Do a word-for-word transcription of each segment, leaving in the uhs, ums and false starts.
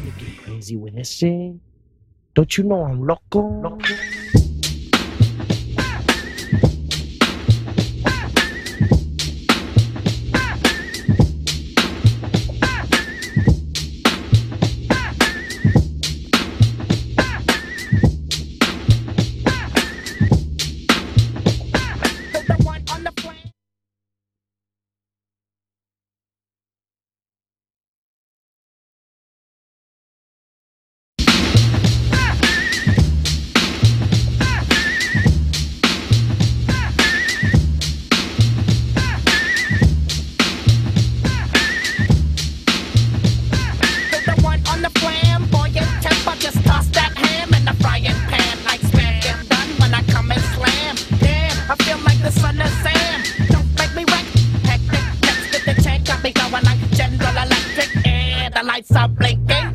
to get crazy with this shit. Don't you know I'm loco? loco?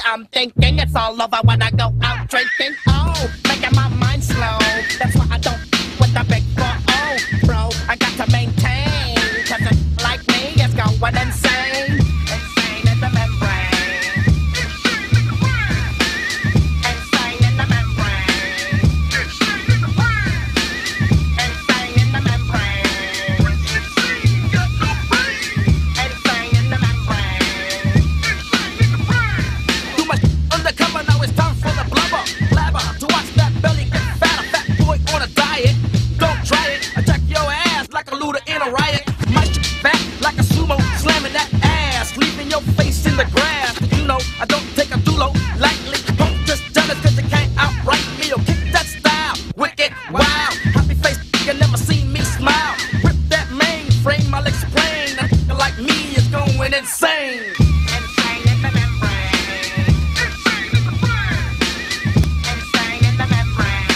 I'm thinking it's all over when I go out drinking. Oh, making my mind slow. That's why I don't with the big four oh, bro. I got to maintain, cause it like me is going insane. Insane in the membrane. Insane in the membrane. Insane in the brain. Insane in the membrane. Insane, got no brain. Insane in the membrane. Insane in the brain. Too much undercover, now it's time for the blubber. Blabber, to watch that belly get fat. A fat boy on a diet. Don't try it. Attack your ass like a looter in a riot. My shit fat like a sumo, slamming that ass, leaving your face in the grass. You know, I don't take a dulo lightly. Don't just jealous cause you can't outright me or kick that style. Wicked, wow. Happy face, you never seen me smile. Rip that mainframe, I'll explain. A nigga like me is going insane. Insane in the membrane. Insane in the brain. Insane in the membrane.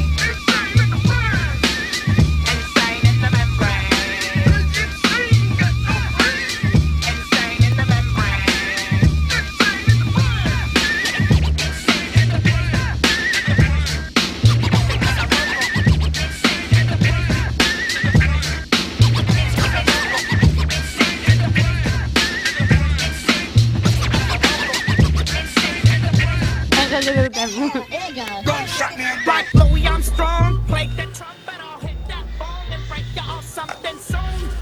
Insane in the brain. Insane in the membrane. Insane, got no brain. Insane in the membrane. Insane in the brain. Insane in the brain. Like Louis Armstrong, play the trumpet, I'll hit that ball and break you off something soon.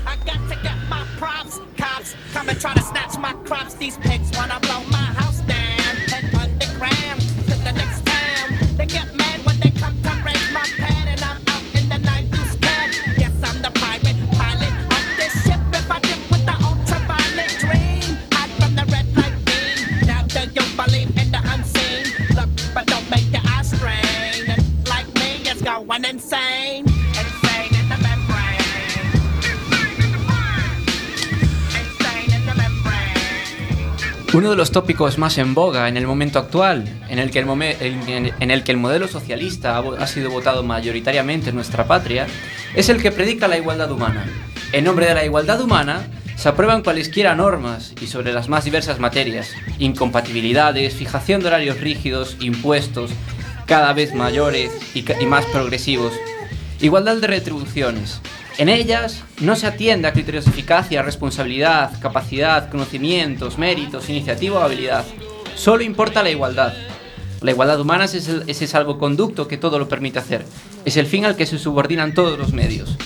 I got to get my props, cops come and try to snatch my crops. These pigs wanna blow my house down and underground to the next town. They get mad when they come to raise my pad and I'm out in the nine deuce cab. Yes, I'm the private pilot of this ship. If I dip with the ultraviolet dream, hide from the red light beam. Now do you believe in the unseen? Look, but don't make your eyes strain. And like me, it's going insane. Insane in the membrane. Insane in the brain. Insane in the membrane. Uno de los tópicos más en boga en el momento actual, en el que el, mome- en- en el, que el modelo socialista ha, vo- ha sido votado mayoritariamente en nuestra patria, es el que predica la igualdad humana. En nombre de la igualdad humana, se aprueban cualesquiera normas y sobre las más diversas materias, incompatibilidades, fijación de horarios rígidos, impuestos cada vez mayores y, ca- y más progresivos, igualdad de retribuciones. En ellas no se atiende a criterios de eficacia, responsabilidad, capacidad, conocimientos, méritos, iniciativa o habilidad. Solo importa la igualdad. La igualdad humana es el- ese salvoconducto que todo lo permite hacer. Es el fin al que se subordinan todos los medios.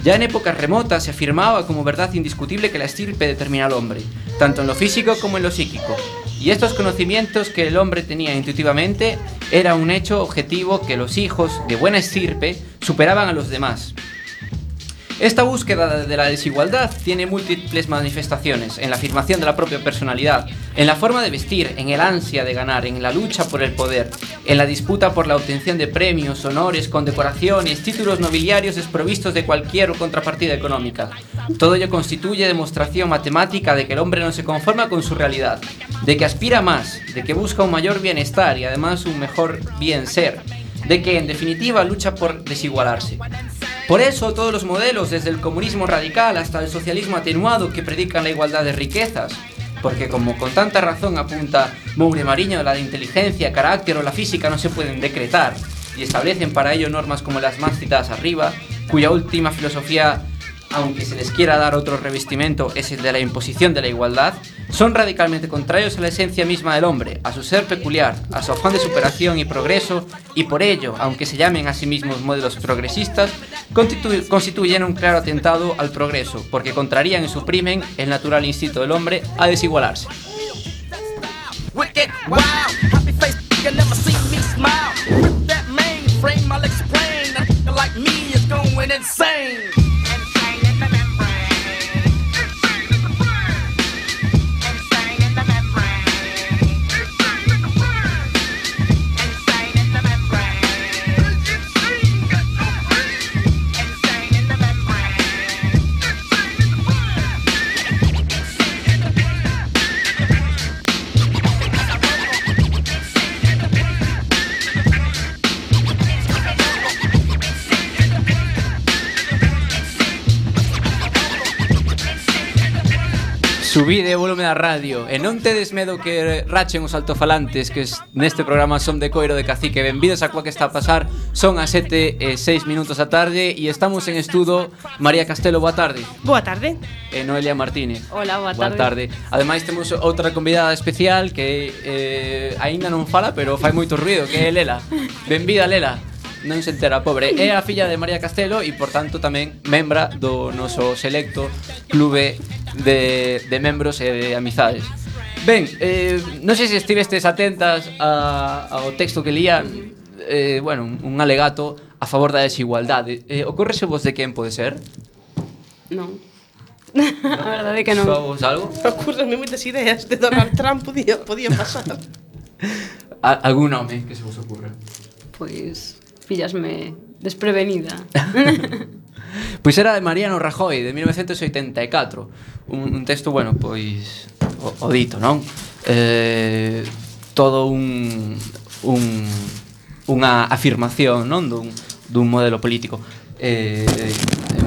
Ya en épocas remotas se afirmaba como verdad indiscutible que la estirpe determina al hombre, tanto en lo físico como en lo psíquico. Y estos conocimientos que el hombre tenía intuitivamente era un hecho objetivo que los hijos de buena estirpe superaban a los demás. Esta búsqueda de la desigualdad tiene múltiples manifestaciones en la afirmación de la propia personalidad, en la forma de vestir, en el ansia de ganar, en la lucha por el poder, en la disputa por la obtención de premios, honores, condecoraciones, títulos nobiliarios desprovistos de cualquier contrapartida económica. Todo ello constituye demostración matemática de que el hombre no se conforma con su realidad, de que aspira más, de que busca un mayor bienestar y además un mejor bien ser, de que en definitiva lucha por desigualarse. Por eso todos los modelos, desde el comunismo radical hasta el socialismo atenuado, que predican la igualdad de riquezas, porque como con tanta razón apunta Moure Mariño, la de inteligencia, carácter o la física no se pueden decretar, y establecen para ello normas como las más citadas arriba, cuya última filosofía aunque se les quiera dar otro revestimiento, es el de la imposición de la igualdad, son radicalmente contrarios a la esencia misma del hombre, a su ser peculiar, a su afán de superación y progreso, y por ello, aunque se llamen a sí mismos modelos progresistas, constitu- constituyen un claro atentado al progreso, porque contrarían y suprimen el natural instinto del hombre a desigualarse. Wicked, wow, happy face, you never see me smile. With that mainframe, I'll explain. A nigga like me is going insane. Insane in the membrane. Insane in the brain. Insane in the membrane. Insane in the brain. Insane in the membrane. Insane, got no brain. Insane in the membrane. Insane in the brain. Insane in the brain. Subide o volume da radio e non tedes medo que rachen os altofalantes, que neste programa son de Coiro de Cacique. Benvidos a Coa que está a pasar. Son as sete e seis minutos da tarde e estamos en estudo. María Castelo, boa tarde. Boa tarde. E Noelia Martínez. Hola, boa Boa tarde. tarde. Ademais temos outra convidada especial que eh, aínda non fala, pero fai moito ruido, que é Lela. Benvida, Lela. Non se entera, pobre. É a filla de María Castelo e, por tanto, tamén membra do noso selecto clube de, de membros e de amizades. Ben, eh, non sei se estivestes atentas a, ao texto que lía, eh, bueno, un, un alegato a favor da desigualdade. Eh, Ocórrese vos de quen pode ser? Non. A verdade é que non. Soa vos algo? Ocurrenme moitas ideas de Donald Trump podía, podía pasar. A, algún nome que se vos ocurra? Pois pillasme desprevenida. Pois era de Mariano Rajoy, de mil novecientos oitenta e catro. Un, un texto, bueno, pois o, o dito, non? Eh, todo un, un unha afirmación, non? Dun, dun modelo político. Eh,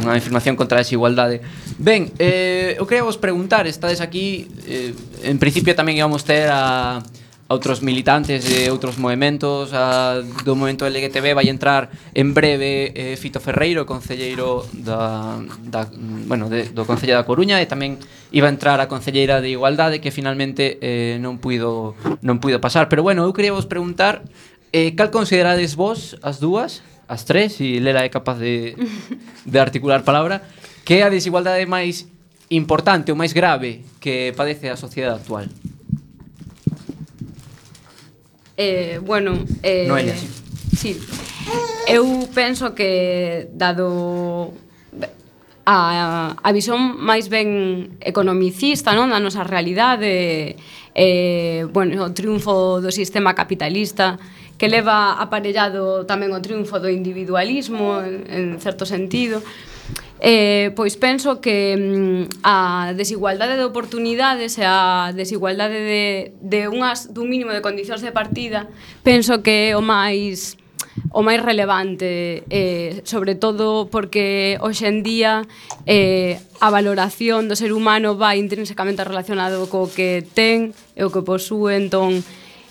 unha afirmación contra a desigualdade. Ben, eh, eu quería vos preguntar, estades aquí, eh, en principio tamén íbamos ter a a outros militantes de outros movementos, a, do movemento L G T B vai entrar en breve eh, Fito Ferreiro, concelleiro da, da, bueno, de, do Concello da Coruña, e tamén iba a entrar a concelleira de Igualdade, que finalmente eh, non puido non puido pasar. Pero bueno, eu quería vos preguntar eh, cal considerades vos as dúas, as tres, e Lela é capaz de, de articular palabra, que é a desigualdade máis importante ou máis grave que padece a sociedade actual. Eh, bueno, eh, Noelia, sí. Sí. Eu penso que dado a, a visión máis ben economicista, non, da nosa realidade, eh, bueno, o triunfo do sistema capitalista que leva aparellado tamén o triunfo do individualismo en, en certo sentido. Eh, pois penso que mm, a desigualdade de oportunidades e a desigualdade de, de unhas, dun mínimo de condicións de partida, penso que é o máis o máis relevante, eh, sobre todo porque hoxe en día eh, a valoración do ser humano vai intrínsecamente relacionado co que ten e o que posúe, entón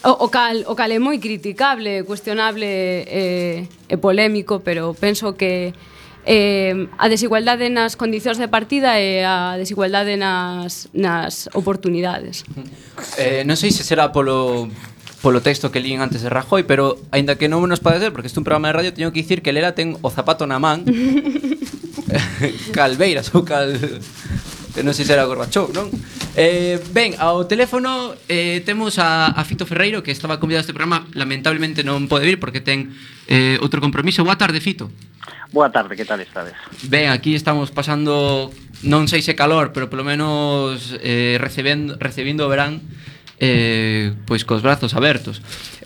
o, o, cal, o cal é moi criticable, cuestionable eh, e polémico, pero penso que Eh, a desigualdade nas condicións de partida e a desigualdade nas, nas oportunidades. Eh, non sei se será polo polo texto que lín antes de Rajoy, pero aínda que non nos pode ser, porque este é un programa de radio, teño que dicir que Lela ten o zapato na man Calveiras ou cal... non sei se era Gorbachov, non? Eh, ben, ao teléfono eh, temos a, a Fito Ferreiro, que estaba convidado a este programa. Lamentablemente non pode vir porque ten eh, outro compromiso. Boa tarde, Fito. Boa tarde, que tal estades? Ben, aquí estamos pasando, non sei se calor, pero polo menos eh, recebendo, recibindo o verán eh, pois cos brazos abertos.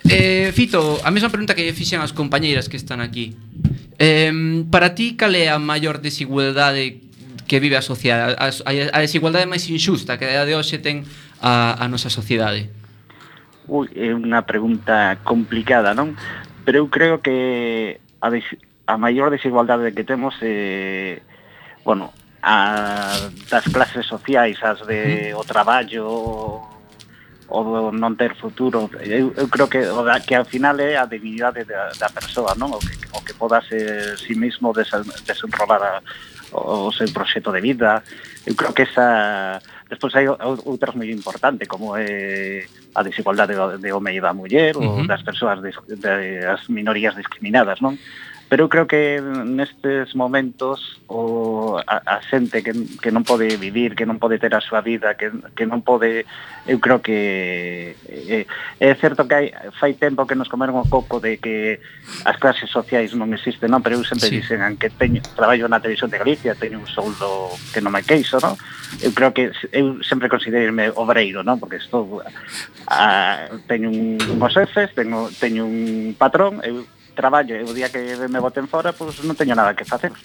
eh, Fito, a mesma pregunta que fixen as compañeiras que están aquí. eh, Para ti, cal é a maior desigualdade que vive a sociedade, a, a desigualdade máis injusta que a de hoxe ten a, a nosa sociedade? Ui, é unha pregunta complicada, non? Pero eu creo que a, des, a maior desigualdade que temos é, bueno, a das clases sociais, as de o traballo, o do non ter futuro. Eu, eu creo que o da, que ao final é a dignidade da, da persoa, non? O que, o que poda ser si mismo desenrolar a, o seu proxecto de vida. Eu creo que esa... Despois hai outras moi importantes, como é a desigualdade de home e da muller, ou Uh-huh. das persoas, de, de, as minorías discriminadas, non? Pero eu creo que nestes momentos o, a, a xente que, que non pode vivir, que non pode ter a súa vida, que, que non pode... Eu creo que é, é certo que hai, fai tempo que nos comeron o coco de que as clases sociais non existen, non? Pero eu sempre Sí. dicen que teño, traballo na televisión de Galicia, teño un soldo que non me queixo, non? Eu creo que eu sempre considerarme obreiro, non? Porque estou a, teño un, unhos xefes, teño, teño un patrón, eu traballo e o día que me boten fora, pois pues non teño nada que facer.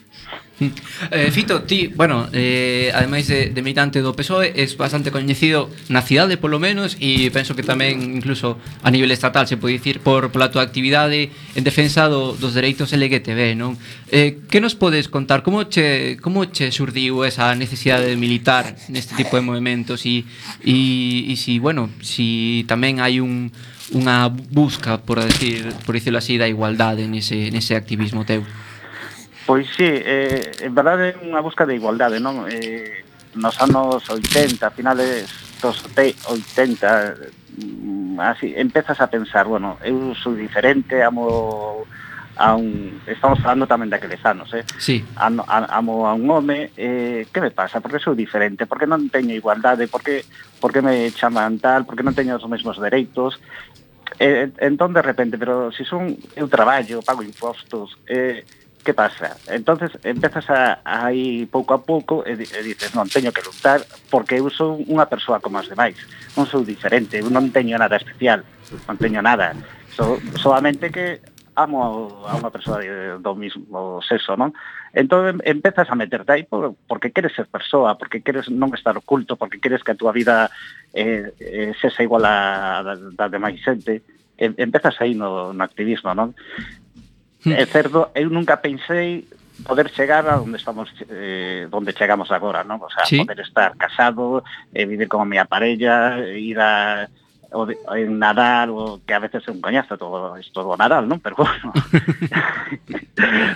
Eh, Fito, ti, bueno, eh, ademais de, de militante do P S O E, es bastante coñecido na cidade, polo menos, e penso que tamén, incluso a nivel estatal, se pode dicir, por pola tua actividade en defensa do, dos dereitos L G T B, non? Eh, que nos podes contar? Como che, como che surdiu esa necesidade de militar neste tipo de movimentos e, e, e si, bueno, si tamén hai un unha busca, por decir, por dicirlo así, da igualdade nese, nese activismo teu? Pois sí, eh, en verdade é unha busca de igualdade, non? Eh, nos anos oitenta, finales dos oitenta, mm, así, empezas a pensar, bueno, eu sou diferente, amo a un... Estamos falando tamén daqueles anos, eh? Sí. Amo, amo a un home, eh, que me pasa? Porque sou diferente, porque non teño igualdade, porque, porque me chaman tal, porque non teño os mesmos dereitos. Eh, entón, de repente, pero se si son, eu traballo, pago impostos, eh, que pasa? Entonces empezas a, a ir pouco a pouco e, e dices, non, teño que lutar porque eu sou unha persoa como as demais, non sou diferente, eu non teño nada especial, non teño nada, so, solamente que amo a unha persoa de, do mismo sexo, non? Entón empezas a meterte aí por, porque queres ser persoa, porque queres non estar oculto, porque queres que a túa vida eh, eh, sexa igual a da, da demais xente. E, empezas aí no, no activismo, non? É certo, eu nunca pensei poder chegar a onde estamos, eh, onde chegamos agora, non? O sea, Sí. poder estar casado, eh, vivir con a miña parella, ir a o de, en Nadal, o que a veces é un coñazo todo isto do Nadal, non? Pero bueno,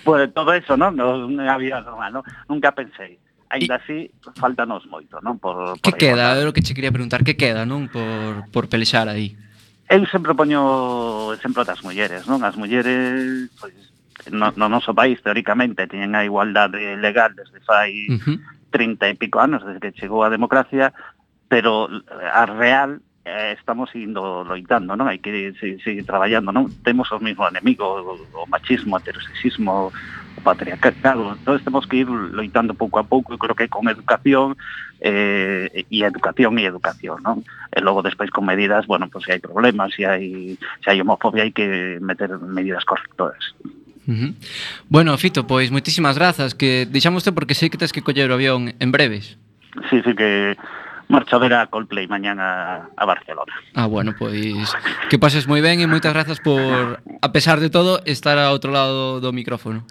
pues todo eso, non? Non había normal, non? Nunca pensei. Ainda así, faltanos moito, non? Por, Que por queda? igualdade. É o que che quería preguntar, que queda, non? Por, por pelexar aí. Eu sempre poño o exemplo das mulleres, non? As mulleres, pois, no, no noso país, teóricamente, teñen a igualdade legal desde fai Uh-huh. trinta e pico anos, desde que chegou a democracia, pero a real eh, estamos indo loitando, non? Hai que seguir, seguir traballando, non? Temos o mismo enemigo, o, o machismo, o heterosexismo, o patriarcado, entón temos que ir loitando pouco a pouco, e creo que con educación eh, e educación e educación, non? E logo despois con medidas, bueno, pues se hai problemas, se hai, se hai homofobia, hai que meter medidas correctoras. Uh-huh. Bueno, Fito, pois moitísimas grazas, que deixamoste porque sei que tens que coller o avión en breves. Sí, sí, que marcho a ver a Coldplay mañán a, a Barcelona. Ah, bueno, pois que pases moi ben e moitas grazas por, a pesar de todo, estar ao outro lado do micrófono.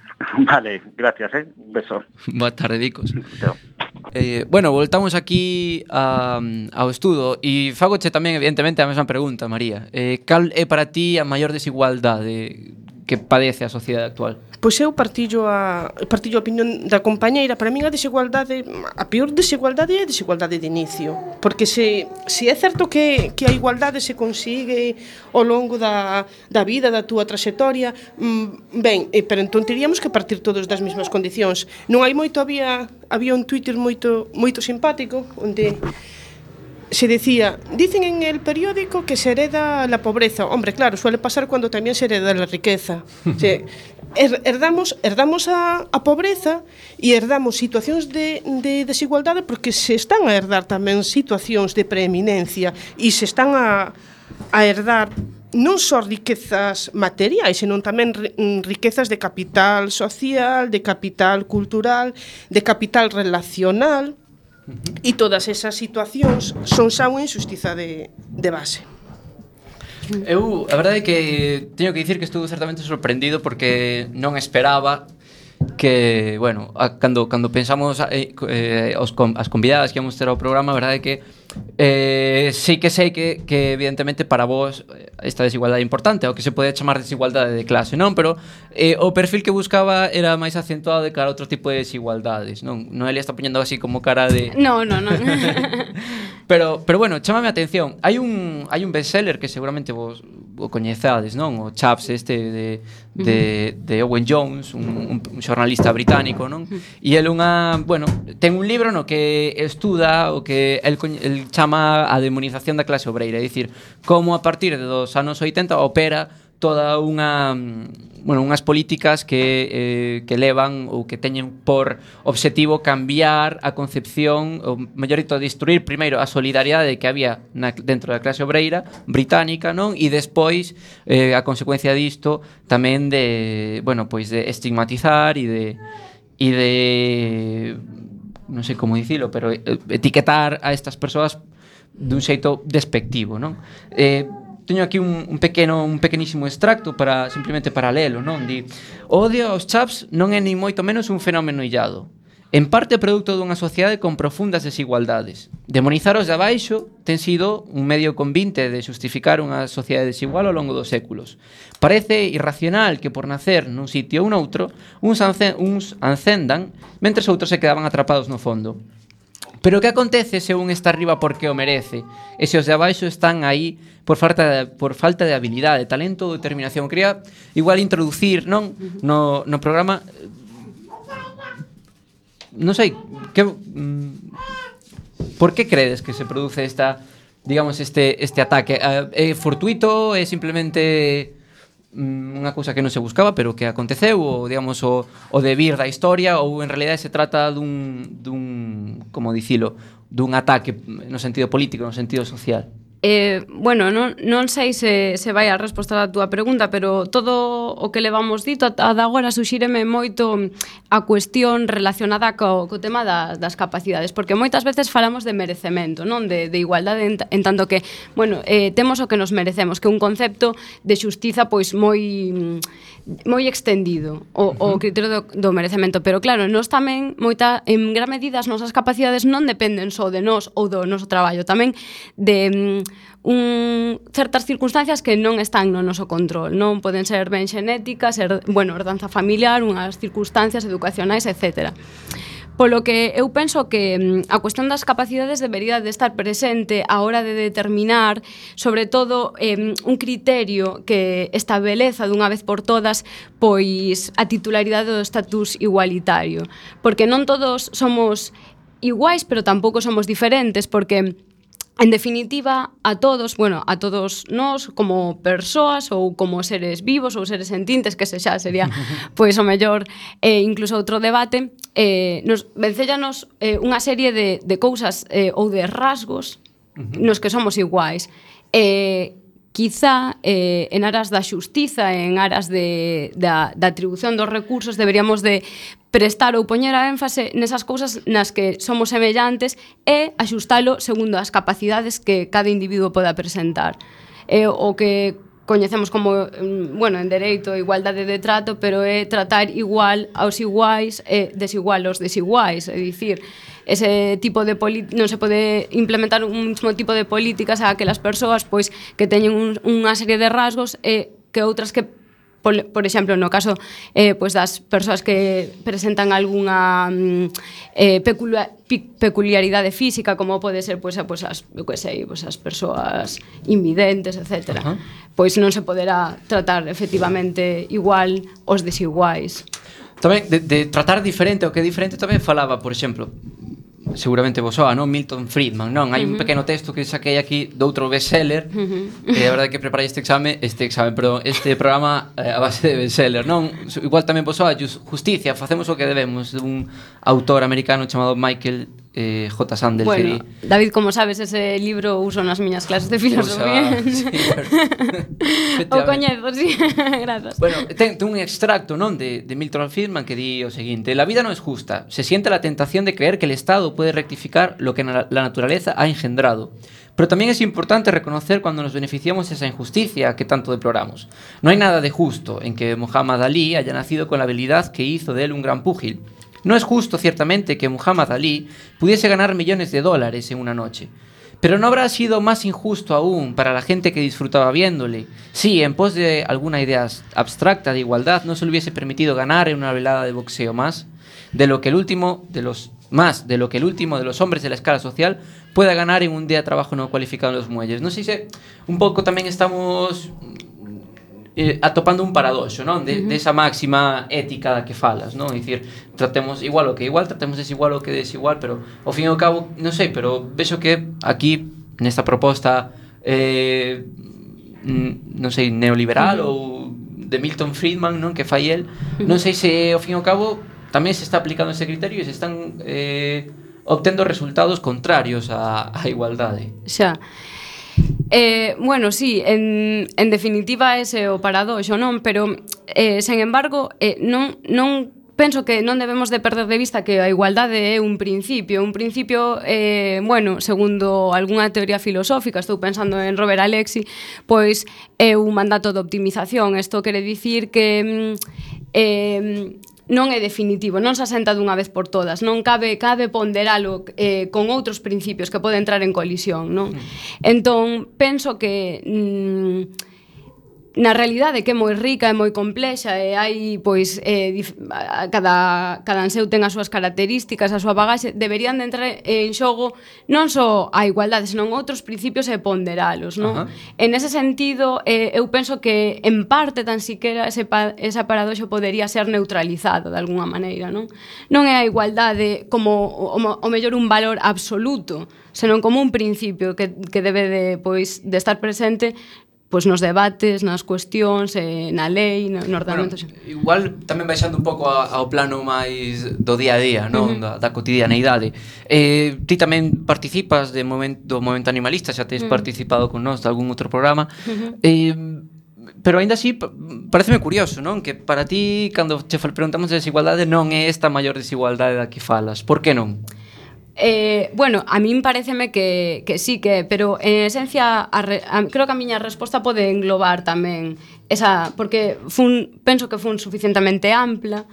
Vale, gracias, eh? Un beso. Boa tarde, Dicos. Chao. Eh, bueno, voltamos aquí a, ao estudo e fagoche tamén, evidentemente, a mesma pregunta, María. Eh, cal é para ti a maior desigualdade que padece a sociedade actual? Pois eu partillo a partillo a opinión da compañeira. Para min a desigualdade, a peor desigualdade é a desigualdade de inicio, porque se, se é certo que, que a igualdade se consigue ao longo da, da vida, da túa traxectoria, mm, ben, eh, pero entón teríamos que partir todos das mesmas condicións. Non hai moito, había, había un Twitter moito, moito simpático, onde se decía, dicen en el periódico que se hereda la pobreza. Hombre, claro, suele pasar cuando también se hereda la riqueza. Se, her, herdamos, herdamos a, a pobreza e herdamos situacións de, de desigualdade porque se están a herdar tamén situacións de preeminencia e se están a, a herdar non só riquezas materiais, senón tamén riquezas de capital social, de capital cultural, de capital relacional. E todas esas situacións son xa unha injustiza de, de base. Eu, a verdade é que teño que dicir que estuve certamente sorprendido porque non esperaba que, bueno, a, cando, cando pensamos eh, eh, os, as convidadas que íamos ter ao programa, a verdade é que Eh, sí que sei que, que evidentemente para vos esta desigualdade é importante, o que se pode chamar desigualdade de clase, non? Pero eh, o perfil que buscaba era máis acentuado de cara a outro tipo de desigualdades, non? Noelia está poñendo así como cara de... No, no, no. pero, pero bueno, chámame a atención. Hai un, hai un bestseller que seguramente vos o coñezades, non? O Chaps este de, de, de Owen Jones, un, un xornalista británico, non? E el unha, bueno, ten un libro no que estuda o que el, el chama a demonización da clase obreira, é dicir, como a partir de dos anos oitenta opera toda unha, bueno, unhas políticas que, eh, que levan ou que teñen por objetivo cambiar a concepción, ou mellor dito, destruir primeiro a solidariedade que había na, dentro da clase obreira británica, non? E despois eh, a consecuencia disto tamén de, bueno, pois de estigmatizar e de e de non sei como dicilo, pero etiquetar a estas persoas dun xeito despectivo, non? Eh, teño aquí un, un pequeno un pequenísimo extracto para simplemente para lelo, non? Di: "O odio aos chaps non é nin moito menos un fenómeno illado. En parte produto dunha sociedade con profundas desigualdades. Demonizar os de abaixo ten sido un medio convinte de xustificar unha sociedade desigual ao longo dos séculos. Parece irracional que por nacer nun sitio ou noutro, uns, ancen, uns ancendan, mentres outros se quedaban atrapados no fondo. Pero que acontece se un está arriba porque o merece, e se os de abaixo están aí por falta de, por falta de habilidade, talento ou determinación?" Quería igual introducir, non, no, no programa, non sei, que, mm, por que credes que se produce esta, digamos, este, este ataque? É fortuito? É simplemente unha cousa que non se buscaba pero que aconteceu, ou digamos o, o debir da historia, ou en realidad se trata dun, dun como dicilo, dun ataque no sentido político, no sentido social? Eh, bueno, non, non sei se, se vai a resposta a túa pregunta, pero todo o que levamos dito ata agora suxíreme moito a cuestión relacionada co, co tema da, das capacidades, porque moitas veces falamos de merecemento, non de, de igualdade, en, en tanto que, bueno, eh, temos o que nos merecemos, que é un concepto de xustiza pois moi moi extendido, o, o criterio do, do merecemento, pero claro, nós tamén moita, en gran medida as nosas capacidades non dependen só de nós ou do noso traballo, tamén de un, certas circunstancias que non están no noso control, non poden ser ben xenéticas, ser, bueno, herdanza familiar, unhas circunstancias educacionais, etcétera. Polo que eu penso que a cuestión das capacidades debería de estar presente á hora de determinar, sobre todo, eh, un criterio que estabeleza dunha vez por todas pois a titularidade do estatus igualitario, porque non todos somos iguais, pero tampouco somos diferentes, porque en definitiva, a todos, bueno, a todos nós como persoas ou como seres vivos ou seres sentintes, que se xa sería pois o mellor eh, incluso outro debate, eh, nos vencellanos eh, unha serie de, de cousas eh, ou de rasgos nos que somos iguais. Eh, quizá eh, en aras da xustiza, en aras de, da, da atribución dos recursos, deberíamos de prestar ou poñer a énfase nesas cousas nas que somos semellantes e axustalo segundo as capacidades que cada individuo poda presentar. Eh, o que coñecemos como, bueno, en dereito, igualdade de trato, pero é tratar igual aos iguais e desigual aos desiguais, é dicir, ese tipo de non se pode implementar un mesmo tipo de políticas a aquelas persoas pois que teñen un, unha serie de rasgos e que outras que por, por exemplo, no caso eh, pois das persoas que presentan algunha eh, peculiar, peculiaridade física, como pode ser pois, pois as, eu que sei, pois as persoas invidentes, etcétera. Uh-huh. Pois non se poderá tratar efectivamente igual os desiguais. Tamén de, de tratar diferente o que é diferente tamén falaba, por exemplo, seguramente vos soa, non? Milton Friedman, non? Hai un pequeno texto que saquei aquí de outro bestseller, uh-huh. E a verdade que preparei este exame, este exame, perdón, este programa eh, a base de bestseller, non? Igual tamén vos soa Justicia, facemos o que debemos, de un autor americano chamado Michael eh, J. Sandel. Bueno, que... David, como sabes, ese libro uso nas miñas clases de filosofía. O, sea, sí, bueno. O coñezo, sí. Grazas. Bueno, ten, ten un extracto, non, de, de Milton Friedman que di o seguinte: la vida no es justa, se siente la tentación de creer que el Estado puede rectificar lo que la naturaleza ha engendrado. Pero también es importante reconocer cuando nos beneficiamos de esa injusticia que tanto deploramos. No hay nada de justo en que Muhammad Ali haya nacido con la habilidad que hizo de él un gran púgil. No es justo, ciertamente, que Muhammad Ali pudiese ganar millones de dólares en una noche. Pero no habrá sido más injusto aún para la gente que disfrutaba viéndole. Sí, en pos de alguna idea abstracta de igualdad, no se le hubiese permitido ganar en una velada de boxeo más de lo que el último de los más de lo que el último de los hombres de la escala social pueda ganar en un día de trabajo no cualificado en los muelles. Non sei se un pouco tamén estamos eh, atopando un paradoxo, non? De, uh-huh. de esa máxima ética da que falas, non? É dicir, tratemos igual o que igual, tratemos desigual o que desigual, pero ao fin e ao cabo, non sei, pero vexo que aquí nesta proposta eh, non sei, neoliberal uh-huh. ou de Milton Friedman, non? Que fai el, uh-huh. non sei se ao fin e ao cabo tamén se está aplicando ese criterio e se están eh, obtendo resultados contrarios á, á igualdade. Xa. Eh, bueno, sí, en, en definitiva ese é o paradoxo, non? Pero, eh, sen embargo, eh, non, non penso que non debemos de perder de vista que a igualdade é un principio. Un principio, eh, bueno, segundo algunha teoría filosófica, estou pensando en Robert Alexi, pois é un mandato de optimización. Isto quere dicir que... Eh, non é definitivo, non se asenta dunha vez por todas, non cabe cabe ponderalo eh, con outros principios que pode entrar en colisión, non? Entón, penso que mm, na realidade que é moi rica e moi complexa e hai, pois, eh, dif, cada, cada anseu ten as súas características, a súa bagaxe, deberían de entrar en xogo non só a igualdade, senón outros principios e ponderalos, non? Uh-huh. En ese sentido, eh, eu penso que en parte tan siquera ese, pa, esa paradoxo podería ser neutralizado de alguna maneira, non? Non é a igualdade como o, o mellor un valor absoluto, senón como un principio que, que debe de, pois, de estar presente pois nos debates, nas cuestións, eh, na lei, no, no ordenamento. Bueno, igual tamén baixando un pouco ao plano máis do día a día, non? Uh-huh. da, da cotidianeidade. Eh, ti tamén participas de momento, do Movemento Animalista, xa tes uh-huh. participado con nós de algún outro programa. Uh-huh. Eh, pero aínda así, pareceme curioso, non? Que para ti, cando che preguntamos de desigualdade, non é esta maior desigualdade da que falas. Por que non? Eh, bueno, a min pareceme que, que sí que, pero en esencia a re, a, creo que a miña resposta pode englobar tamén esa, porque fun, penso que fun suficientemente ampla.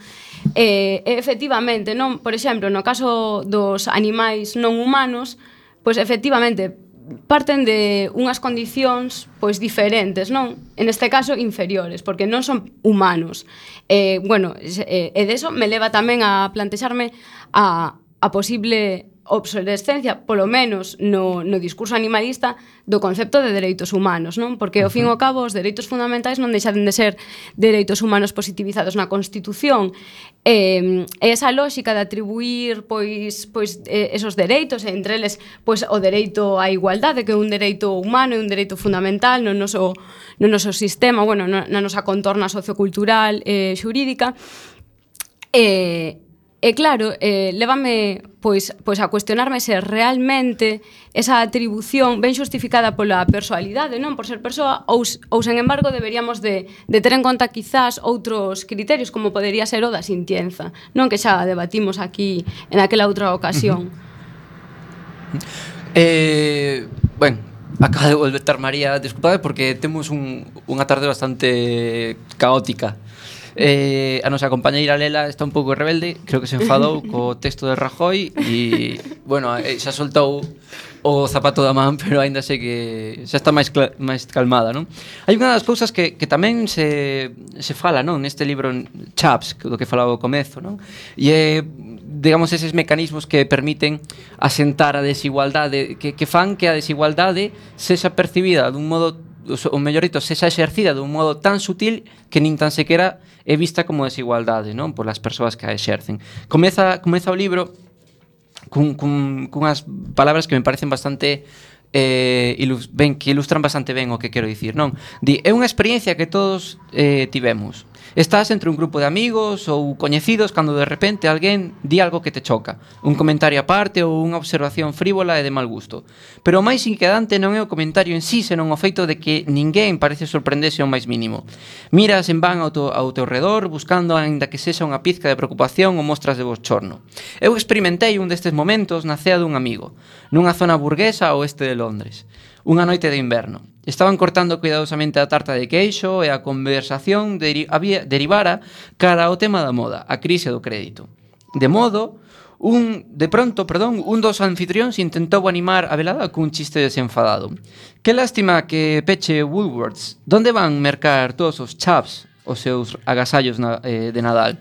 Eh, efectivamente, non, por exemplo, no caso dos animais non humanos, pois efectivamente parten de unhas condicións pois diferentes, non? En este caso inferiores, porque non son humanos. Eh, bueno, e eh, deso me leva tamén a plantexarme a a posible obsolescencia, polo menos no, no discurso animalista, do concepto de dereitos humanos, non? Porque, ao fin e ao cabo, os dereitos fundamentais non deixan de ser dereitos humanos positivizados na Constitución. E, e esa lógica de atribuir, pois, pois eh, esos dereitos, entre eles, pois, o dereito á igualdade, que é un dereito humano e un dereito fundamental no noso, no noso sistema, bueno, na nosa contorna sociocultural e eh, xurídica, e... E claro, eh, lévame pois, pois a cuestionarme se realmente esa atribución ven xustificada pola persoalidade, non? Por ser persoa, ou, ou sen embargo deberíamos de, de ter en conta quizás outros criterios, como podería ser o da sintienza, non? Que xa debatimos aquí en aquela outra ocasión. Uh-huh. Eh, bueno, acaba de volver María, desculpade porque temos un, unha tarde bastante caótica. Eh, a nosa compañeira Lela está un pouco rebelde, creo que se enfadou co texto de Rajoy e, bueno, xa soltou o zapato da man, pero aínda sei que xa está máis, máis calmada, non? Hai unha das cousas que, que tamén se, se fala, non? Neste libro Chaps, do que falaba ao comezo, non? E é, digamos, eses mecanismos que permiten asentar a desigualdade, que, que fan que a desigualdade sexa percibida dun modo, o mellor dito, sexa exercida dun modo tan sutil que nin tan sequera é vista como desigualdade, non? Polas persoas que a exercen. Comeza, comeza o libro cun, cun, cunhas palabras que me parecen bastante eh, ilus, ben, que ilustran bastante ben o que quero dicir, non? Di, é unha experiencia que todos eh, tivemos. Estás entre un grupo de amigos ou coñecidos cando de repente alguén di algo que te choca, un comentario aparte ou unha observación frívola e de mal gusto. Pero o máis inquietante non é o comentario en sí, senón o feito de que ninguén parece sorprenderse ao máis mínimo. Miras en van ao, to, ao teu redor, buscando aínda que sexa unha pizca de preocupación ou mostras de bochorno. Eu experimentei un destes momentos na cea dun amigo, nunha zona burguesa ao oeste de Londres. Unha noite de inverno. Estaban cortando cuidadosamente a tarta de queixo e a conversación deri- había, derivara cara ao tema da moda, a crise do crédito. De modo, Un, de pronto, perdón, un dos anfitrións intentou animar a velada cun chiste desenfadado. Que lástima que peche Woolworths. Donde van mercar todos os chaps os seus agasallos na, eh, de Nadal?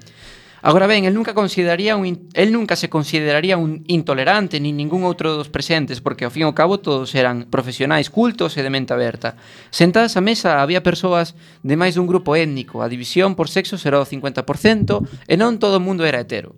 Agora ben, el nunca consideraría un in- el nunca se consideraría un intolerante nin ningún outro dos presentes, porque ao fin e ao cabo todos eran profesionais cultos e de mente aberta. Sentadas á mesa había persoas de máis dun grupo étnico, a división por sexo era o cincuenta por cento e non todo o mundo era hetero.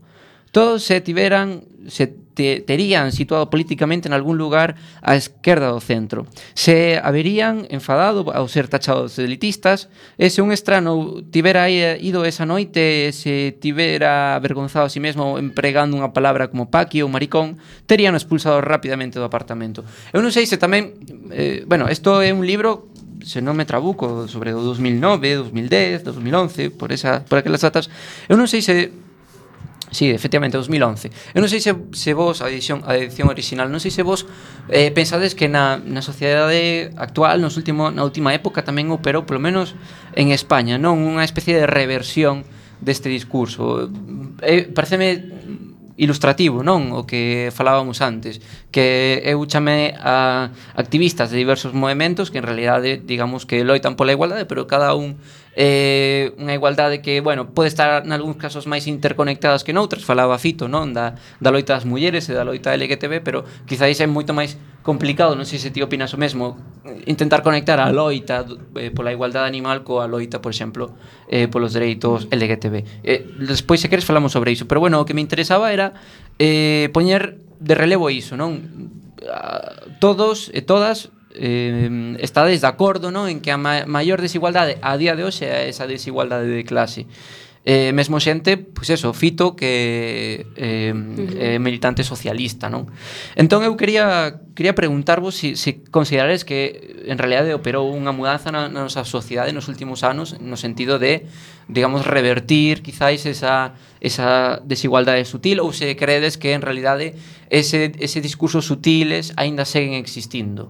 Todos se tiveran se te, terían situado políticamente en algún lugar á esquerda do centro. Se haberían enfadado ao ser tachados de elitistas, e se un estrano tivera ido esa noite e se tivera avergonzado a si mesmo empregando unha palabra como paqui ou maricón, terían expulsado rapidamente do apartamento. Eu non sei se tamén... Eh, bueno, isto é un libro, se non me trabuco, sobre o dos mil nove, dos mil dez, dos mil once, por, esa, por aquelas datas. Eu non sei se... Sí, efectivamente, dos mil once. Eu non sei se, se vos, a edición, a edición original, non sei se vos eh, pensades que na, na sociedade actual, nos último, na última época, tamén operou, polo menos en España, non unha especie de reversión deste discurso. Eh, pareceme ilustrativo, non? O que falábamos antes, que eu chamei a activistas de diversos movementos que en realidade, digamos que loitan pola igualdade, pero cada un eh, unha igualdade que, bueno, pode estar en algúns casos máis interconectadas que noutras. Falaba Fito, non? Da, da loita das mulleres e da loita L G T B, pero quizáis é moito máis complicado, non sei se ti opinas o mesmo, intentar conectar a loita eh, pola igualdade animal coa loita, por exemplo, eh, polos dereitos L G T B. Eh, despois, se queres, falamos sobre iso, pero, bueno, o que me interesaba era eh, poñer de relevo iso, non? Todos e todas eh, estades de acordo, non? En que a ma maior desigualdade a día de hoxe é esa desigualdade de clase. Eh, mesmo xente, pois eso, Fito, que eh, é militante socialista, non? Entón eu quería quería preguntarvos se si, si considerades que en realidade operou unha mudanza na, na nosa sociedade nos últimos anos, no sentido de, digamos, revertir quizáis esa, esa desigualdade sutil, ou se credes que en realidade ese, ese discursos sutiles aínda seguen existindo,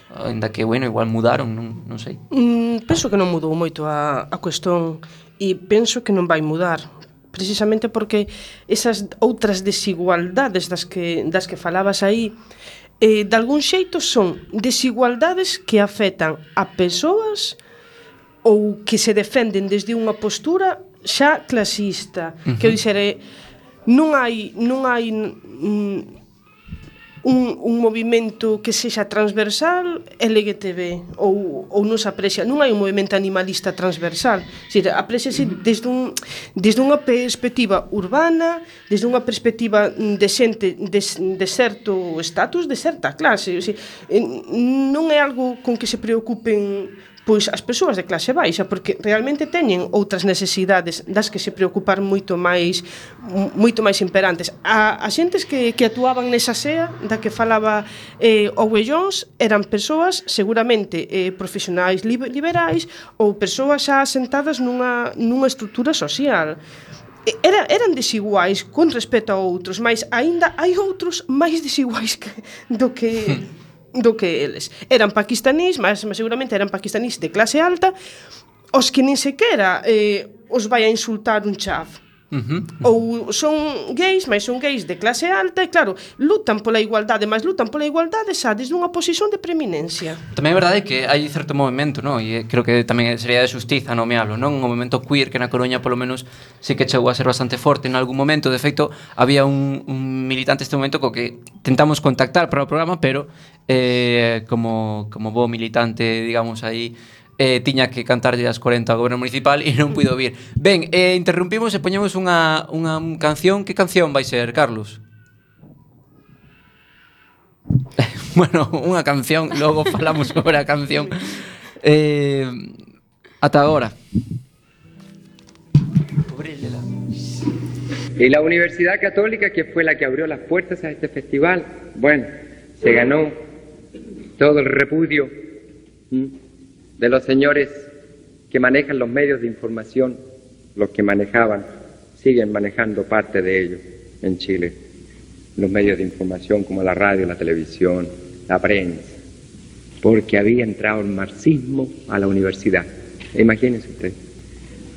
aínda que, bueno, igual mudaron, non, non sei. Mm, penso que non mudou moito a, a cuestión, e penso que non vai mudar, precisamente porque esas outras desigualdades das que, das que falabas aí, eh, de algún xeito son desigualdades que afectan a persoas ou que se defenden desde unha postura xa clasista. Uh-huh. Quero dixer, eh, non hai non hai mm, un, un movimento que sexa transversal L G T B ou, ou non se aprecia, non hai un movimento animalista transversal, se apreciase desde, un, desde unha perspectiva urbana, desde unha perspectiva de xente de, de certo estatus, de certa clase. O sea, non é algo con que se preocupen pois as persoas de clase baixa, porque realmente teñen outras necesidades das que se preocupar moito máis moito máis imperantes. A, a xentes que, que actuaban nesa sea da que falaba eh, Owe Jones eran persoas seguramente eh, profesionais liberais ou persoas xa asentadas nunha, nunha estrutura social. Era, eran desiguais con respecto a outros, mas aínda hai outros máis desiguais que, do que... do que eles. Eran paquistanís, mas, mas seguramente eran paquistanís de clase alta, os que nin sequera eh, os vai a insultar un chav. Uh-huh. Ou son gays, mas son gays de clase alta e claro, lutan pola igualdade, mas lutan pola igualdade xa desde unha posición de preeminencia. Tamén é verdade que hai certo movimento, non? E creo que tamén sería de xustiza nomealo, non? Un movimento queer que na Coruña polo menos sí que chegou a ser bastante forte en algún momento. De feito, había un, un militante este momento co que tentamos contactar para o programa, pero eh, como, como bo militante, digamos, aí Eh, tiña que cantarlle as corenta ao goberno municipal e non puido vir. Ben, eh, interrumpimos e poñemos unha, unha canción. Que canción vai ser, Carlos? Bueno, unha canción, logo falamos sobre a canción. Eh, ata agora. Y la Universidad Católica, que fue la que abrió las puertas a este festival, bueno, se ganó todo el repudio ¿m? de los señores que manejan los medios de información, los que manejaban, siguen manejando parte de ellos en Chile, los medios de información como la radio, la televisión, la prensa, porque había entrado el marxismo a la universidad. Imagínense ustedes,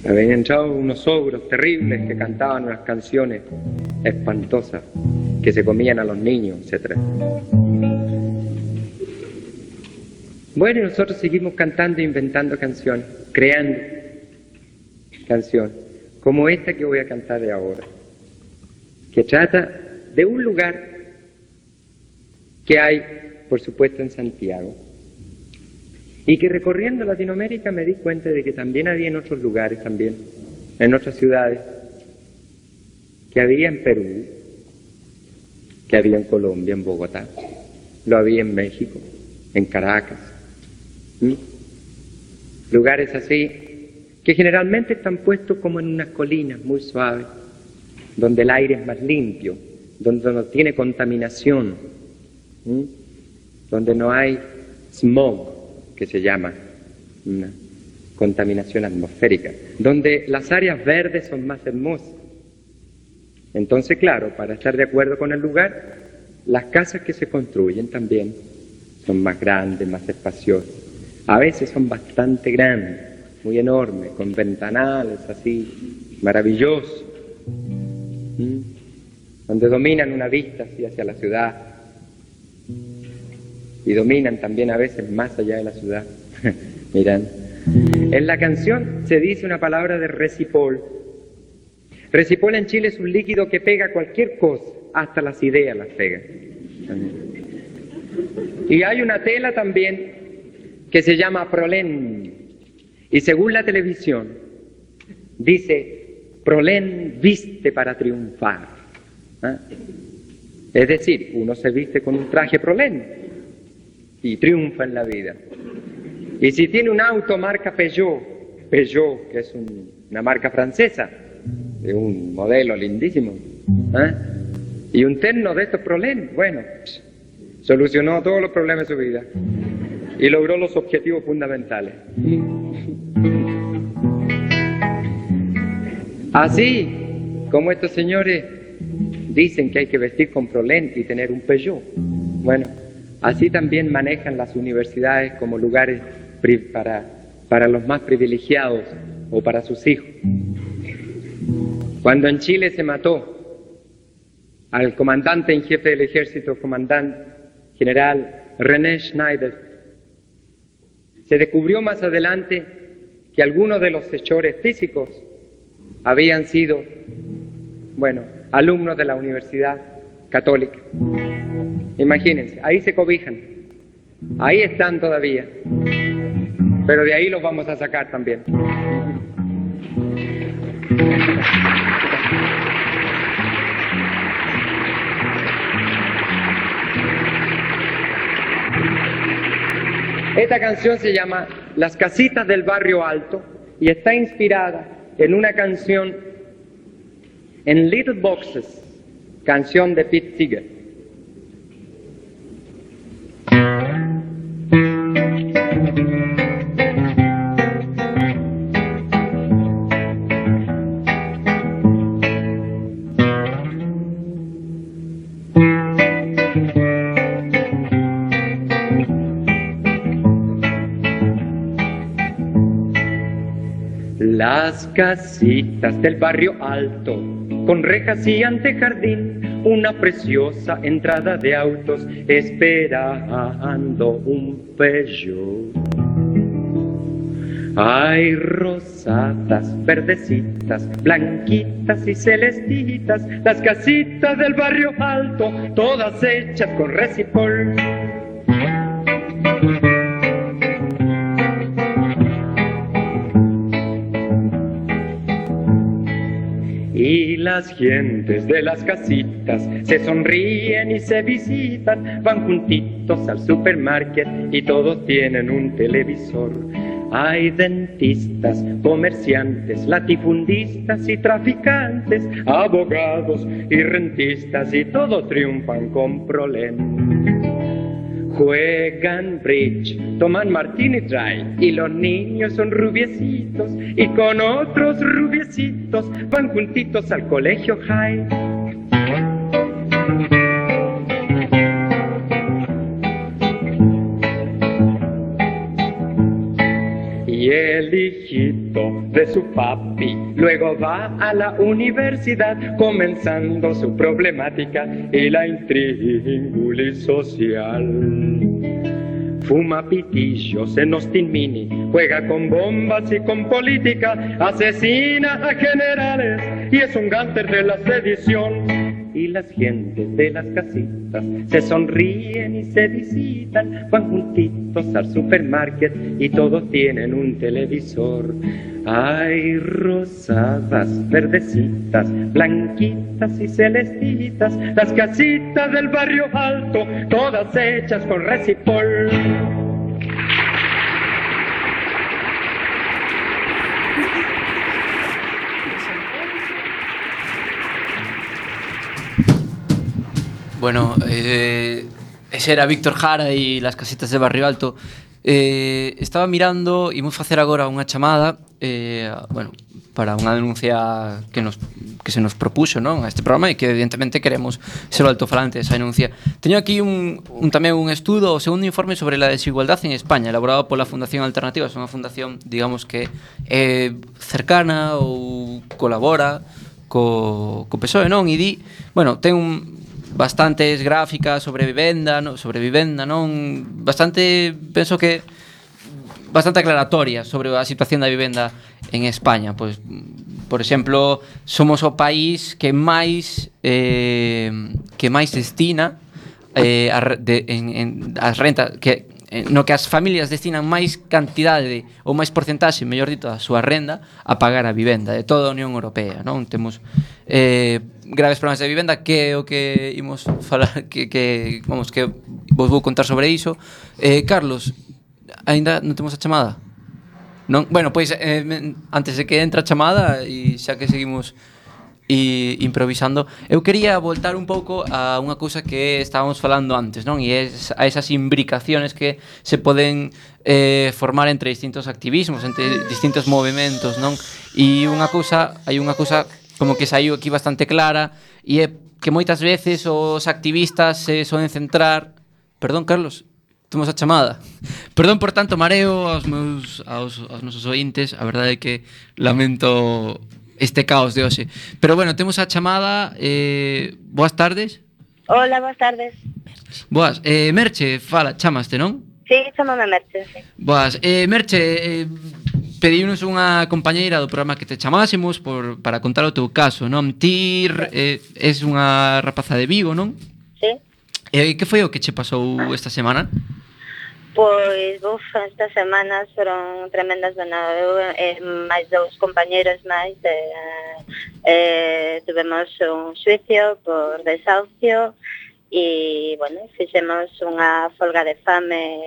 habían entrado unos ogros terribles que cantaban unas canciones espantosas que se comían a los niños, etcétera. Bueno, y nosotros seguimos cantando e inventando canciones, creando canciones, como esta que voy a cantar de ahora, que trata de un lugar que hay, por supuesto, en Santiago, y que recorriendo Latinoamérica me di cuenta de que también había en otros lugares, también, en otras ciudades, que había en Perú, que había en Colombia, en Bogotá, lo había en México, en Caracas, ¿Mm? lugares así, que generalmente están puestos como en unas colinas muy suaves, donde el aire es más limpio, donde no tiene contaminación, ¿Mm? donde no hay smog, que se llama una contaminación atmosférica, donde las áreas verdes son más hermosas. Entonces, claro, para estar de acuerdo con el lugar, las casas que se construyen también son más grandes, más espaciosas. A veces son bastante grandes, muy enormes, con ventanales así, maravillosos, ¿Mm? donde dominan una vista así hacia la ciudad y dominan también a veces más allá de la ciudad. Miran, en la canción se dice una palabra de resipol. Resipol en Chile es un líquido que pega cualquier cosa, hasta las ideas las pega. Y hay una tela también que se llama prolén, y según la televisión dice, prolén viste para triunfar. ¿Ah? Es decir, uno se viste con un traje prolén y triunfa en la vida. Y si tiene un auto marca Peugeot, Peugeot, que es un, una marca francesa, de un modelo lindísimo, ¿eh? y un terno de estos prolén, bueno, solucionó todos los problemas de su vida y logró los objetivos fundamentales. Así como estos señores dicen que hay que vestir con prolén y tener un Peugeot, bueno, así también manejan las universidades como lugares para, para los más privilegiados o para sus hijos. Cuando en Chile se mató al comandante en jefe del ejército, comandante general René Schneider, se descubrió más adelante que algunos de los hechores físicos habían sido, bueno, alumnos de la Universidad Católica. Imagínense, ahí se cobijan, ahí están todavía, pero de ahí los vamos a sacar también. Esta canción se llama Las casitas del barrio alto y está inspirada en una canción en Little Boxes, canción de Pete Seeger. Las casitas del barrio alto, con rejas y antejardín, una preciosa entrada de autos, esperando un Peugeot. Hay rosadas, verdecitas, blanquitas y celestitas, las casitas del barrio alto, todas hechas con resipol. Y las gentes de las casitas se sonríen y se visitan, van juntitos al supermarket y todos tienen un televisor. Hay dentistas, comerciantes, latifundistas y traficantes, abogados y rentistas y todos triunfan con prolén. Juegan bridge, toman martini dry y los niños son rubiecitos y con otros rubiecitos van juntitos al colegio high. y el hijito de su papi. Luego va a la universidad comenzando su problemática y la intríngulis social. Fuma pitillos en Austin Mini, juega con bombas y con política, asesina a generales y es un gánster de la sedición. Y las gentes de las casitas se sonríen y se visitan, van juntitos al supermarket y todos tienen un televisor. Hay rosadas, verdecitas, blanquitas y celestitas, las casitas del barrio alto, todas hechas con resipol. Bueno, eh, ese era Víctor Jara y las casitas de Barrio Alto. Eh, estaba mirando, imos facer agora unha chamada, eh, bueno, para unha denuncia que nos que se nos propuxo, non, a este programa, e que evidentemente queremos ser o altofalante desa denuncia. Teño aquí un, un tamén un estudo, o segundo informe sobre la desigualdad en España, elaborado pola Fundación Alternativa. É unha fundación, digamos, que é cercana ou colabora co, co P S O E, non? E di, bueno, ten un bastantes gráficas sobre vivenda, no, sobre vivenda, non? Bastante, penso que bastante aclaratoria sobre a situación da vivenda en España. Pois, por exemplo, somos o país que máis eh, que máis destina eh, a, de, en, en as rentas que no que as familias destinan máis cantidade ou máis porcentaxe, mellor dito, a súa renda a pagar a vivenda de toda a Unión Europea, non? Temos eh, graves problemas de vivenda, que é o que imos falar, que, que vamos, que vos vou contar sobre iso. Eh, Carlos, aínda non temos a chamada? Non? Bueno, pois eh, antes de que entre a chamada, e xa que seguimos e improvisando, eu quería voltar un pouco a unha cousa que estábamos falando antes, non? E es a esas imbricaciones que se poden eh, formar entre distintos activismos, entre distintos movimentos, non? E unha cousa, hai unha cousa como que saiu aquí bastante clara, e é que moitas veces os activistas se soden centrar... Perdón, Carlos, temos a chamada. Perdón por tanto mareo aos meus aos, aos nosos ointes, a verdade é que lamento este caos de hoxe. Pero bueno, temos a chamada. eh, Boas tardes. Hola, boas tardes. Boas, eh, Merche, fala, chamaste, non? Sí, chamame Merche, sí. Boas, eh, Merche, eh, pediunos unha compañeira do programa que te chamásemos por, para contar o teu caso, non? Ti eh, es unha rapaza de Vigo, non? Sí. E eh, que foi o que che pasou esta semana? Pois, uf, estas semanas foron tremendas, bueno, eu e máis dous compañeros máis eh, eh, tuvemos un xuicio por desahucio e, bueno, fixemos unha folga de fame,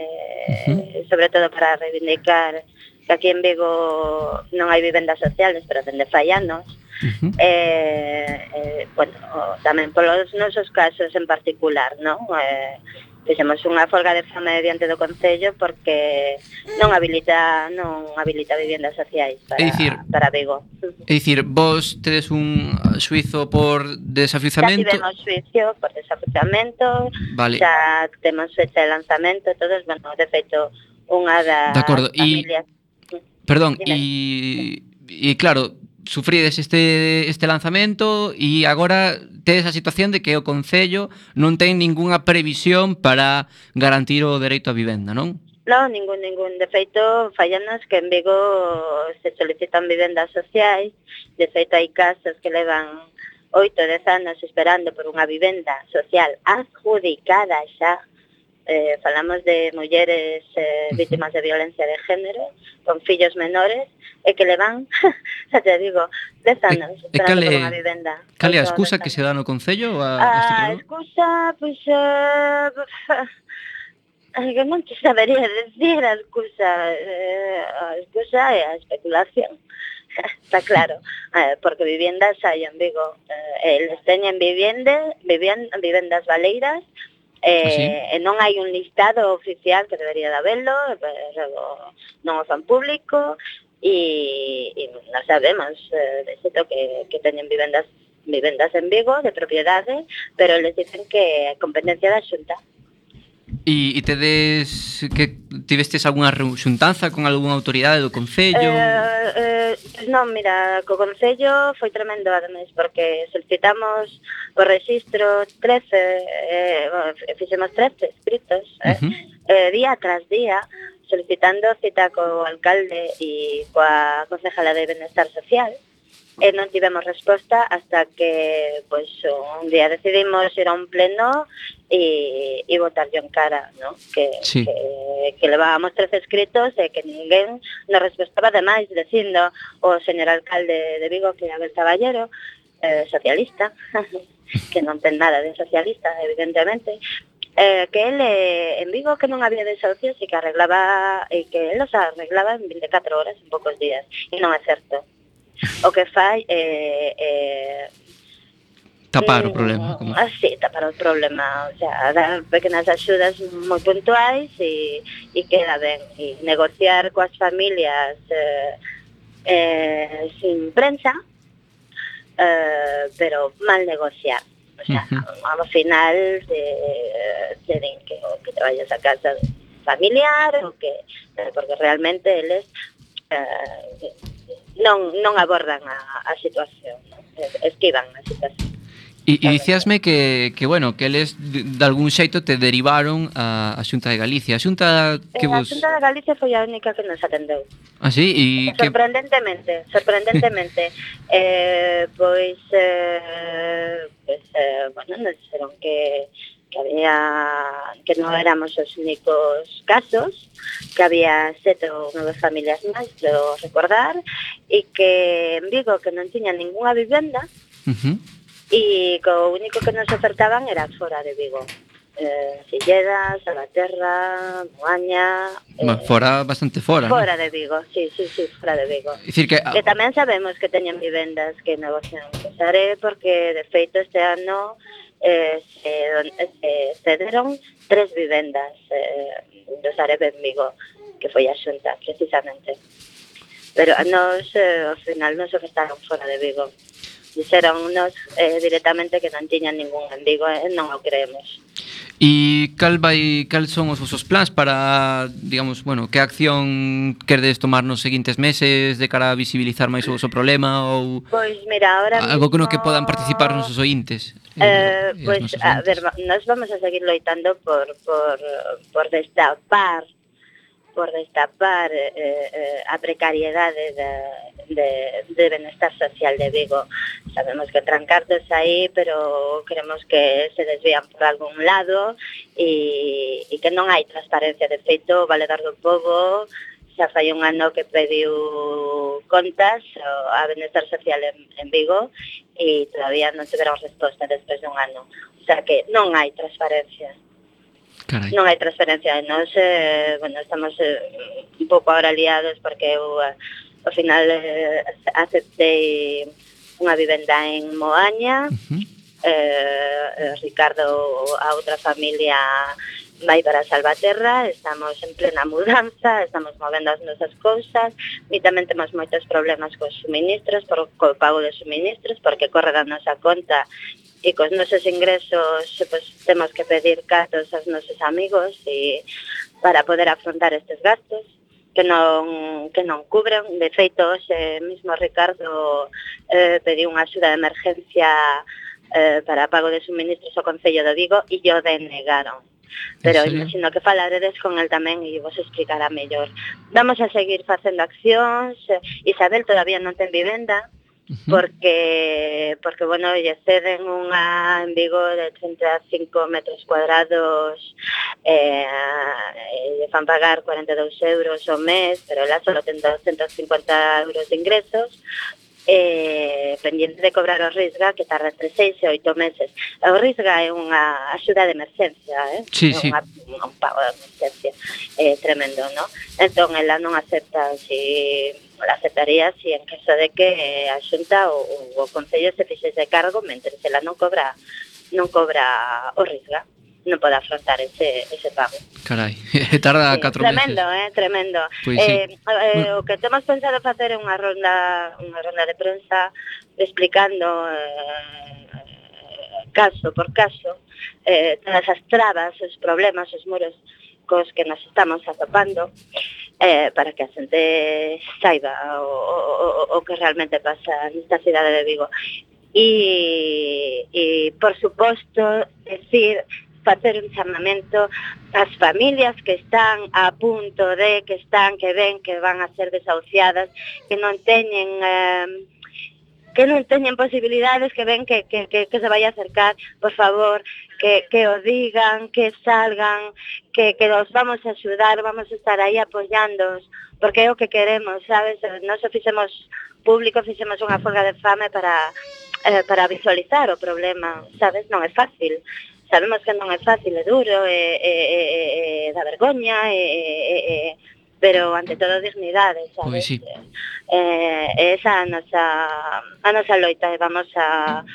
uh-huh. sobre todo para reivindicar que aquí en Vigo non hai vivendas sociales, pero dende fai anos. Uh-huh. eh, eh, bueno, tamén polos nosos casos en particular, non? Eh, fixemos unha folga de fame diante do Concello porque non habilita non habilita viviendas sociais para, é dicir, para Vigo. É dicir, vos tedes un xuizo por desafiuzamento? Já tivemos xuizo por desafiuzamento, vale. Xa temos fecha de lanzamento, todos, bueno, de feito, unha das familias... E, perdón, e, e claro, sufrides este, este lanzamento e agora tedes a situación de que o Concello non ten ningunha previsión para garantir o dereito a vivenda, non? Non, ningún, ningún. De feito, fallanos que en Vigo se solicitan vivendas sociais. De feito, hai casos que levan oito, dez anos esperando por unha vivenda social adjudicada xa. Eh, falamos de mulleres eh, vítimas de violencia de género con fillos menores e que le van, xa te digo, dez anos e, esperando e por unha vivenda. Cal é a excusa que se dá no Concello? A, a excusa, pois, uh, que non te sabería decir a excusa. Eh, a excusa é a especulación. Está claro, eh, porque viviendas hai en Vigo. Eh, eles teñen vivende, viviend, vivendas baleiras, Eh, e non hai un listado oficial que debería de haberlo, pero non o fan público e, e non sabemos eh, de xeito que, que teñen vivendas vivendas en Vigo de propiedade, pero les dicen que é competencia da Xunta. E, e tedes que tivestes algunha xuntanza con algunha autoridade do Concello? Eh, eh, pues non, mira, co Concello foi tremendo ademais, porque solicitamos o registro trece, eh, bueno, fixemos trece escritos, eh, Uh-huh. eh, día tras día, solicitando cita co alcalde e coa concejala de Benestar Social, e non tivemos resposta hasta que pois, un día decidimos ir a un pleno e, e votarlle en cara, ¿no? que, Sí. que, que levábamos trece escritos e que ninguén nos respostaba. Ademais, dicindo o señor alcalde de Vigo, que é Abel Caballero, eh, socialista, que non ten nada de socialista, evidentemente, eh, que ele en Vigo que non había desahucios e que arreglaba e que ele os arreglaba en veinticuatro horas, en poucos días, e non é certo. O que fai é eh, Tapar o mm, problema. Como... así, tapar o problema, o sea, dar pequenas axudas moi puntuais e, e queda ben, e negociar coas familias eh, eh, sin prensa, eh, pero mal negociar. O sea, Ujú. ao final te, te din que, que te vayas a casa familiar o que, porque realmente eles eh, non, non abordan a, a situación, ¿no? Esquivan a situación. E, e dicíasme que, que, bueno, que eles de, de algún xeito te derivaron a, a Xunta de Galicia. A Xunta que Eh, a vos... Xunta de Galicia foi a única que nos atendeu. Ah, sí? E que... Sorprendentemente, sorprendentemente, eh, pois, eh, pois eh, bueno, nos dixeron que, que había, que non éramos os únicos casos, que había sete ou nove familias máis, creo recordar, e que en Vigo que non tiña ninguna vivenda, Uh-huh. e que o único que nos ofertaban era fora de Vigo. Eh, Silleda, Salvaterra, Moaña... Eh, fora, bastante fora, Fora ¿no? de Vigo, sí, sí, sí, fora de Vigo. Dicir que... Que tamén sabemos que teñen vivendas que negocian co Sare, porque de feito este ano eh, se, se cederon tres vivendas eh, do Sare en Vigo, que foi a Xunta, precisamente. Pero a nos, eh, ao final, nos ofertaron fora de Vigo. Dixeronnos eh, directamente que non tiñan ningún en Vigo, e eh, non o creemos. E cal vai, cal son os vosos plans para, digamos, bueno, que acción querdes tomar nos seguintes meses de cara a visibilizar máis o voso problema ou Pois mira, ahora algo que no mismo, que podan participar os nosos ointes? Eh, e as pois, nosas a ointes. ver, nós vamos a seguir loitando por, por, por destapar por destapar eh, eh, a precariedade de, de, de benestar social de Vigo. Sabemos que entran cartos aí, pero queremos que se desvían por algún lado e, e que non hai transparencia. De feito, o Valedor do Pobo xa fai un ano que pediu contas a benestar social en, en Vigo e todavía non tiveron resposta despois de un ano. O sea que non hai transparencia. Carai. Non hai transferencia. Nos, eh, bueno, estamos eh, un pouco ahora liados porque eu, eh, ao final, eh, aceptei unha vivenda en Moaña. Uh-huh. eh, eh, Ricardo, a outra familia, vai para Salvaterra. Estamos en plena mudanza, estamos movendo as nosas cousas e tamén temos moitos problemas cos suministros, por co pago de suministros, porque corre da nosa conta e cos nosos ingresos pues, temos que pedir cartos aos nosos amigos e para poder afrontar estes gastos que non, que non cubren. De feito, hoxe mismo Ricardo eh, pediu unha axuda de emergencia eh, para pago de suministros ao Concello de Vigo e yo denegaron. Pero imagino que falaredes con el tamén e vos explicará mellor. Vamos a seguir facendo accións. Isabel todavía non ten vivenda, porque, porque bueno, lle ceden unha en Vigo de treinta e cinco metros cuadrados, eh, e lle fan pagar cuarenta e dous euros ao mes, pero ela só ten doscientos cincuenta euros de ingresos, eh, pendiente de cobrar o Risga, que tarda entre seis e oito meses. O Risga é unha axuda de emergencia, eh? Sí, é sí. unha, un pago de emergencia eh, tremendo, ¿no? Entón, ela non acepta, si la aceptaría si en caso de que a Xunta ou o Concello se fixese cargo mentre ela non cobra non cobra o Risga, non pode afrontar ese, ese pago. Carai, tarda Sí, catro tremendo, meses. eh, tremendo. Pois eh, sí. eh, o que temos pensado facer é unha ronda unha ronda de prensa explicando eh, caso por caso eh, todas as trabas, os problemas, os muros cos que nos estamos atopando, eh, para que a xente saiba o, o, o que realmente pasa nesta cidade de Vigo. E, e por suposto, decir, facer un chamamento ás familias que están a punto de, que están, que ven que van a ser desahuciadas, que non teñen... Eh, que non teñen posibilidades, que ven que, que, que, que se vai a acercar, por favor, que, que o digan, que salgan, que, que os vamos a axudar, vamos a estar aí apoyándoos, porque é o que queremos, sabes? Nós fixemos público, fixemos unha folga de fame para, eh, para visualizar o problema, sabes? Non é fácil. Sabemos que non é fácil, é duro, é, é, é, é da vergoña, é, é, é, pero ante todo dignidade, sabes? Pois sí. Eh, esa a nosa, a nosa loita, e vamos a,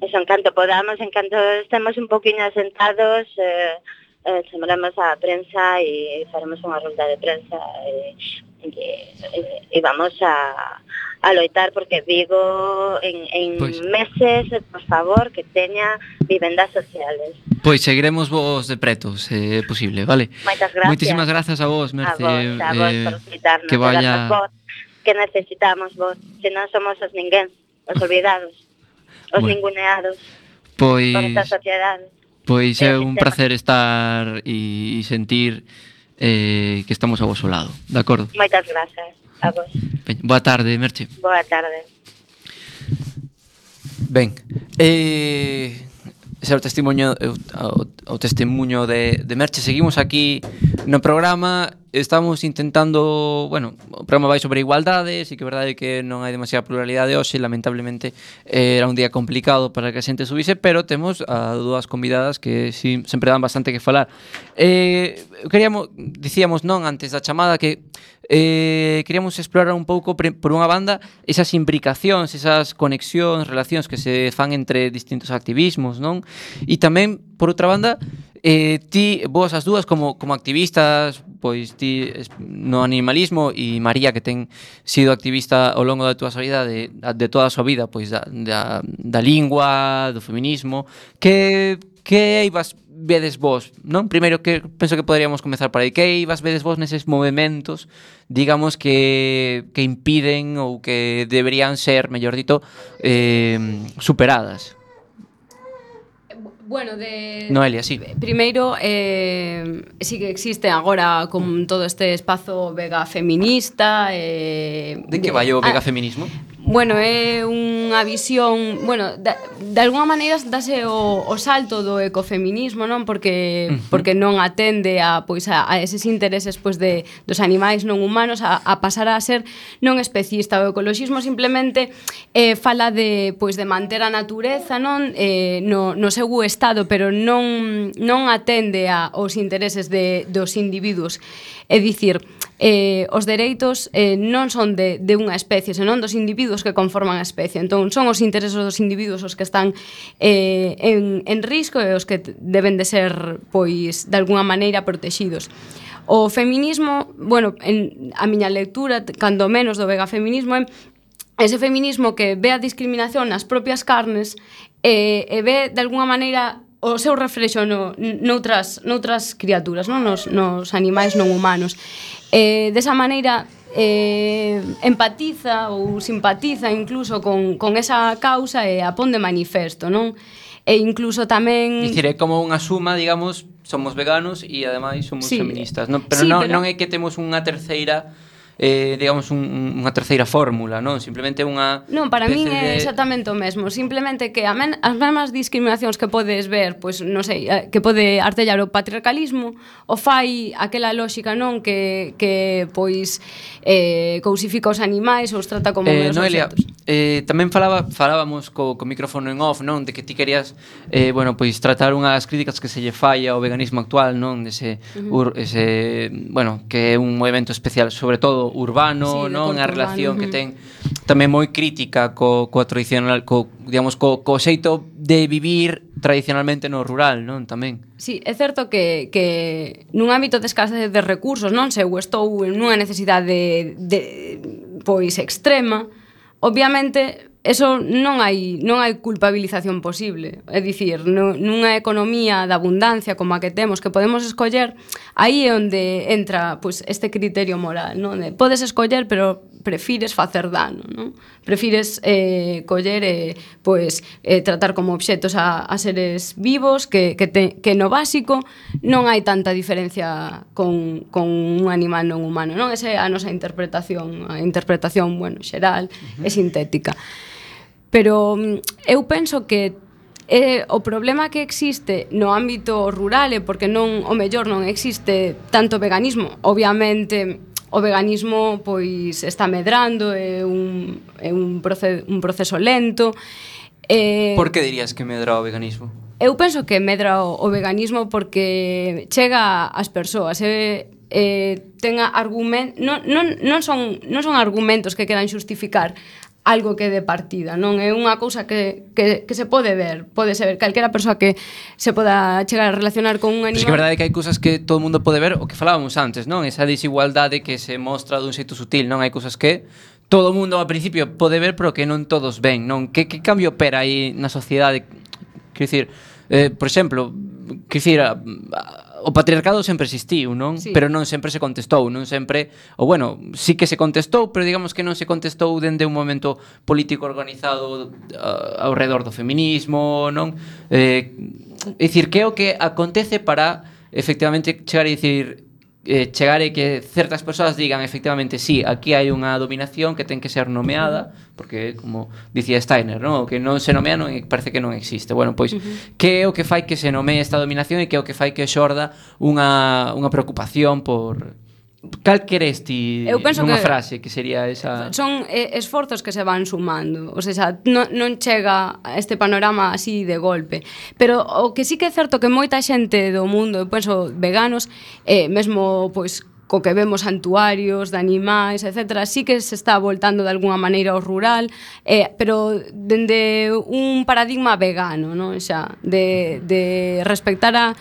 eso, en canto podamos, en canto estemos un poquinho asentados, eh, eh, chamaremos a prensa e faremos unha rolda de prensa e, e, e vamos a, a loitar porque Vigo en, en Pois. meses, por favor, que teña vivendas sociales. Pois seguiremos vos de preto, se é posible, vale? Moitas gracias. Moitísimas grazas a vos, Merce. A vos, a vos eh, por citarnos, que vaya... darnos voz, que necesitamos vos, se non somos os ninguén, os olvidados, os Bueno. ninguneados Pois... por esta sociedade. Pois é un sistema. placer estar e sentir eh, que estamos ao vosso lado, de acordo? Moitas grazas a vos. Ben, boa tarde, Merche. Boa tarde. Ben, eh, ese é o testimonio, o, o testimonio de, de Merche. Seguimos aquí no programa. Estamos intentando, bueno, o programa vai sobre igualdade, sí que é verdade que non hai demasiada pluralidade hoxe, lamentablemente eh, era un día complicado para que a xente subise, pero temos a dúas convidadas que sí, sempre dan bastante que falar. Eh, queríamos, dicíamos non antes da chamada que eh, queríamos explorar un pouco por unha banda esas imbricacións, esas conexións, relacións que se fan entre distintos activismos, non? E tamén, por outra banda, eh, ti, vos as dúas como, como activistas, pois ti no animalismo e María que ten sido activista ao longo da túa vida de, de toda a súa vida, pois da, da, da lingua, do feminismo, que que ibas vedes vos, non? Primeiro que penso que poderíamos comezar por aí. Que ibas vedes vos neses movementos, digamos que que impiden ou que deberían ser, mellor dito, eh, superadas? Bueno, de... Noelia, sí. Primeiro, eh, sí que existe agora con todo este espazo vega feminista. Eh, De que vai o vega ah, feminismo? Bueno, é unha visión, bueno, de, de alguna maneira dase o, o salto do ecofeminismo, non? Porque uh-huh. porque non atende a pois a, a eses intereses pois de dos animais non humanos a, a pasar a ser non especista. O ecoloxismo simplemente eh, fala de pois de manter a natureza, non? Eh, no, no seu estado, pero non non atende a os intereses de dos individuos. É dicir, eh, os dereitos eh, non son de, de unha especie, senón dos individuos que conforman a especie. Entón, son os intereses dos individuos os que están eh, en, en risco e os que deben de ser, pois, de alguna maneira protegidos. O feminismo, bueno, en a miña lectura, cando menos do vega feminismo, é ese feminismo que ve a discriminación nas propias carnes e, e ve, de alguna maneira, o seu reflexo no, noutras, noutras criaturas, non? Nos, nos animais non humanos. Eh, desa maneira eh, empatiza ou simpatiza incluso con, con esa causa e a pon de manifesto, non? E incluso tamén... Dicir, é como unha suma, digamos, somos veganos e ademais somos sí, feministas, non? Pero, sí, non, pero non é que temos unha terceira... Eh, digamos, un, unha terceira fórmula, non? Simplemente unha... Non, para min é de... exactamente o mesmo. Simplemente que a men, as mesmas discriminacións que podes ver, pois, non sei, que pode artellar o patriarcalismo, o fai aquela lógica, non? Que, que pois, eh, cousifica os animais ou os trata como eh, meros Noelia, obxectos. Eh, tamén falaba, falábamos co, co micrófono en off, non? De que ti querías, eh, bueno, pois tratar unhas críticas que se lle fai ao veganismo actual, non? Dese, uh-huh. ur, ese, bueno, que é un movimento especial, sobre todo urbano, sí, non? A relación urbano, que uh-huh. ten tamén moi crítica co, co tradicional, co, digamos, co, co xeito de vivir tradicionalmente no rural, non? Tamén. Sí, é certo que, que nun ámbito de escasez de recursos, non? Se eu estou nunha necesidade de, pois extrema, obviamente eso non hai non hai culpabilización posible. É dicir, no, nunha economía de abundancia como a que temos, que podemos escoller, aí é onde entra pois, este criterio moral, non? De, podes escoller, pero prefires facer dano, non? Prefires eh, coller e eh, pois, eh, tratar como obxetos a, a seres vivos que, que, te, que no básico non hai tanta diferencia con, con un animal non humano, non? Esa é a nosa interpretación, a interpretación, bueno, xeral uh-huh. e sintética. Pero eu penso que eh, o problema que existe no ámbito rural é porque non o mellor non existe tanto veganismo. Obviamente o veganismo pois está medrando, é un, é un, proceso, un proceso lento. Eh, Por que dirías que medra o veganismo? Eu penso que medra o, o veganismo porque chega ás persoas e eh, tenga argumentos non, non, non, son, non son argumentos que queran xustificar algo que de partida, non é unha cousa que, que, que se pode ver, pode ser calquera persoa que se poda chegar a relacionar con un animal. Pero é que a verdade é que hai cousas que todo o mundo pode ver, o que falábamos antes, non? Esa desigualdade que se mostra dun xeito sutil, non? Hai cousas que todo o mundo ao principio pode ver, pero que non todos ven, non? Que, que cambio opera aí na sociedade? Quer dicir, eh, por exemplo, quer dicir, a, a, o patriarcado sempre existiu, non? Sí. Pero non sempre se contestou, non sempre, ou bueno, sí que se contestou, pero digamos que non se contestou dende un momento político organizado uh, ao redor do feminismo, non? Eh, é dicir, que é o que acontece para efectivamente chegar e dicir eh, chegar e que certas persoas digan efectivamente, sí, aquí hai unha dominación que ten que ser nomeada, porque como dicía Steiner, ¿no? Que non se nomea non parece que non existe. Bueno, pois, uh-huh. que é o que fai que se nomee esta dominación e que é o que fai que xorda unha, unha preocupación por... Cal queres ti nunha frase que sería esa... Son eh, esforzos que se van sumando, o sea, non, non chega a este panorama así de golpe. Pero o que sí que é certo que moita xente do mundo, eu penso veganos, eh, mesmo pois co que vemos santuarios de animais, etcétera, sí que se está voltando de alguna maneira ao rural, eh, pero dende un paradigma vegano, non? Xa, de, de respectar a,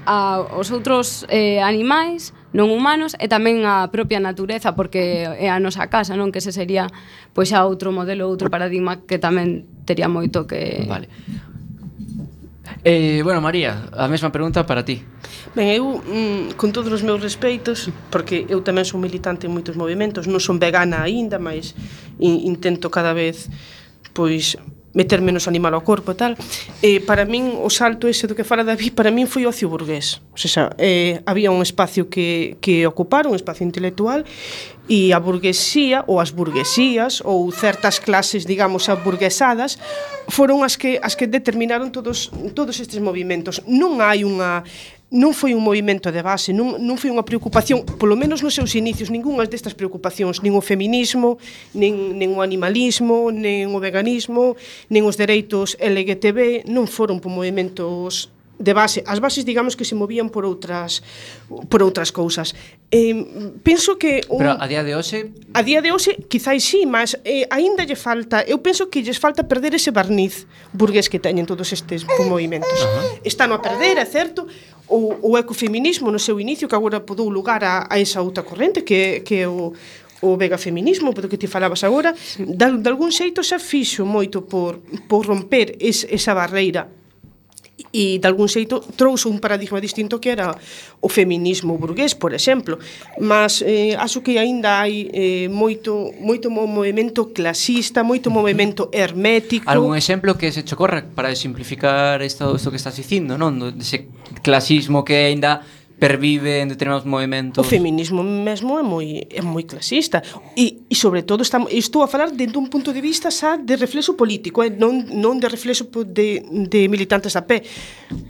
a os outros eh, animais non humanos e tamén a propia natureza, porque é a nosa casa, non? Que ese sería pois xa outro modelo, outro paradigma que tamén tería moito que... Vale. Eh, bueno, María, a mesma pregunta para ti. Ben, eu, mm, con todos os meus respeitos, porque eu tamén son militante en moitos movimentos, non son vegana aínda, mas in, intento cada vez, pois, meter menos animal ao corpo e tal, eh, para min o salto ese do que fala David, para min foi ocio burgués, o sea, eh, había un espacio que, que ocupar, un espacio intelectual, e a burguesía, ou as burguesías, ou certas clases, digamos, aburguesadas, foron as que as que determinaron todos todos estes movimentos. Non hai unha non foi un movimento de base, non, non foi unha preocupación, polo menos nos seus inicios, ningunhas destas preocupacións, nin o feminismo, nin, nin o animalismo, nin o veganismo, nin os dereitos L G T B, non foron por movimentos de base. As bases, digamos, que se movían por outras por outras cousas. Eh, penso que un, Pero a día de hoxe a día de hoxe quizás sí, mas eh, aínda lle falta, eu penso que lles falta perder ese barniz burgués que teñen todos estes movimentos. Uh-huh. Están a perder, é certo, o, o ecofeminismo no seu inicio, que agora podou lugar a, a esa outra corrente que, que é o o vegafeminismo, polo que ti falabas agora, de, de algún xeito xa fixo moito por, por romper es, esa barreira e de algún xeito trouxe un paradigma distinto que era o feminismo burgués, por exemplo, mas eh, acho que aínda hai eh, moito moito movimento clasista, moito movimento hermético. Algún exemplo que se chocorra para simplificar isto, isto que estás dicindo, non? Ese clasismo que aínda pervive en determinados movimentos. O feminismo mesmo é moi é moi clasista e, e sobre todo está, estou a falar dentro dun punto de vista xa de reflexo político, eh? non, non de reflexo de, de militantes a pé.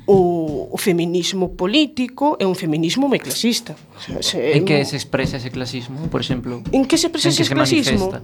O, o feminismo político é un feminismo moi clasista. O sea, se, en que se expresa ese clasismo, por exemplo? En que se expresa ese clasismo?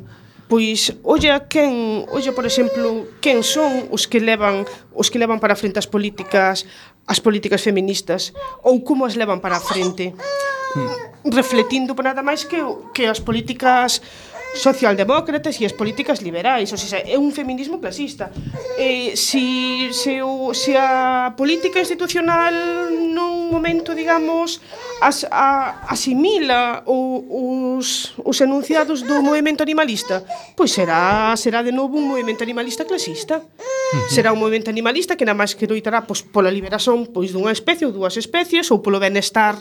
Pois, olla quen, olla por exemplo, quen son os que levan os que levan para a frente as políticas, as políticas feministas, ou como as levan para a frente, hmm. refletindo por nada máis que que as políticas socialdemócratas e as políticas liberais, ou seja, é un feminismo clasista. Eh, si, se, o, se a política institucional non nun momento, digamos, as, a, asimila o, os, os enunciados do movimento animalista, pois será, será de novo un movimento animalista clasista. Uh-huh. Será un movimento animalista que nada máis que loitará pois, pola liberación pois, dunha especie ou dúas especies ou polo benestar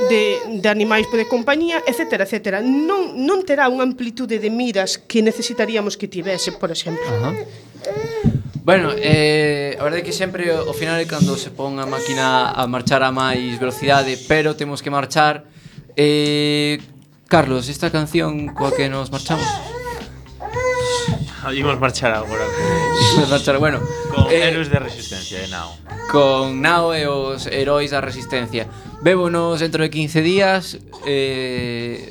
de, de animais de compañía, etcétera, etcétera. Non, non terá unha amplitude de miras que necesitaríamos que tivese, por exemplo. Ajá. Bueno, eh, a verdade é que sempre ao final é cando se pon a máquina a marchar a máis velocidade, pero temos que marchar. eh, Carlos, esta canción coa que nos marchamos? Imos marchar agora Imos marchar, bueno, con eh, Héroes de Resistencia de Nao. Con Nao e os heróis da resistencia. Vémonos dentro de quince días. eh,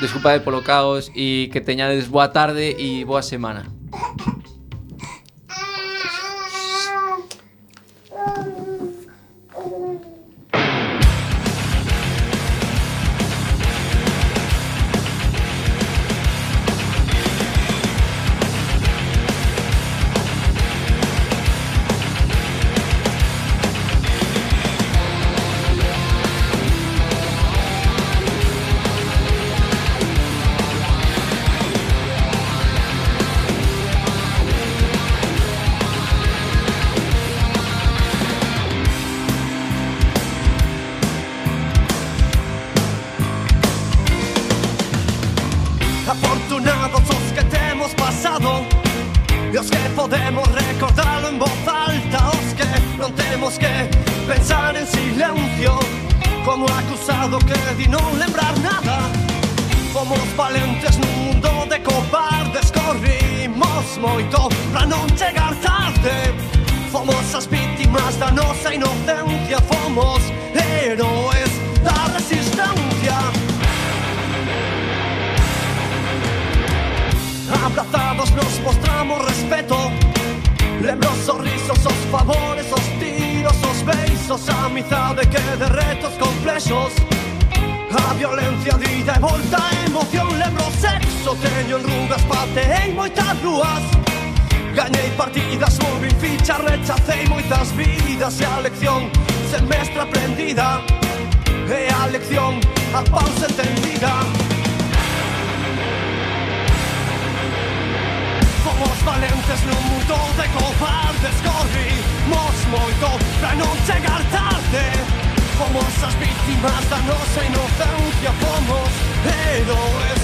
Desculpade polo caos e que teñades boa tarde e boa semana. Afortunados os que temos pasado e os que podemos recordarlo en voz alta, os que non temos que pensar en silencio como acusado que di non lembrar nada. Fomos valentes nun mundo de cobardes, corrimos moito pra non chegar tarde. Fomos as vítimas da nosa inocencia, fomos héroes da resistencia. Abrazados nos mostramos respeto, lembro os sorrisos, os favores, os tiros, os beizos, a amizade que derrete os complexos, a violencia de ida e volta, a emoción, lembro o sexo, teño enrugas, pateei moitas ruas, gañei partidas, movin fichas, rechacei moitas vidas, e a lección semestre aprendida, e a lección a pausa entendida. Fomos valentes nun mundo de cobardes, corrimos moito pra non chegar tarde. Fomos as vítimas da nosa inocencia, fomos héroes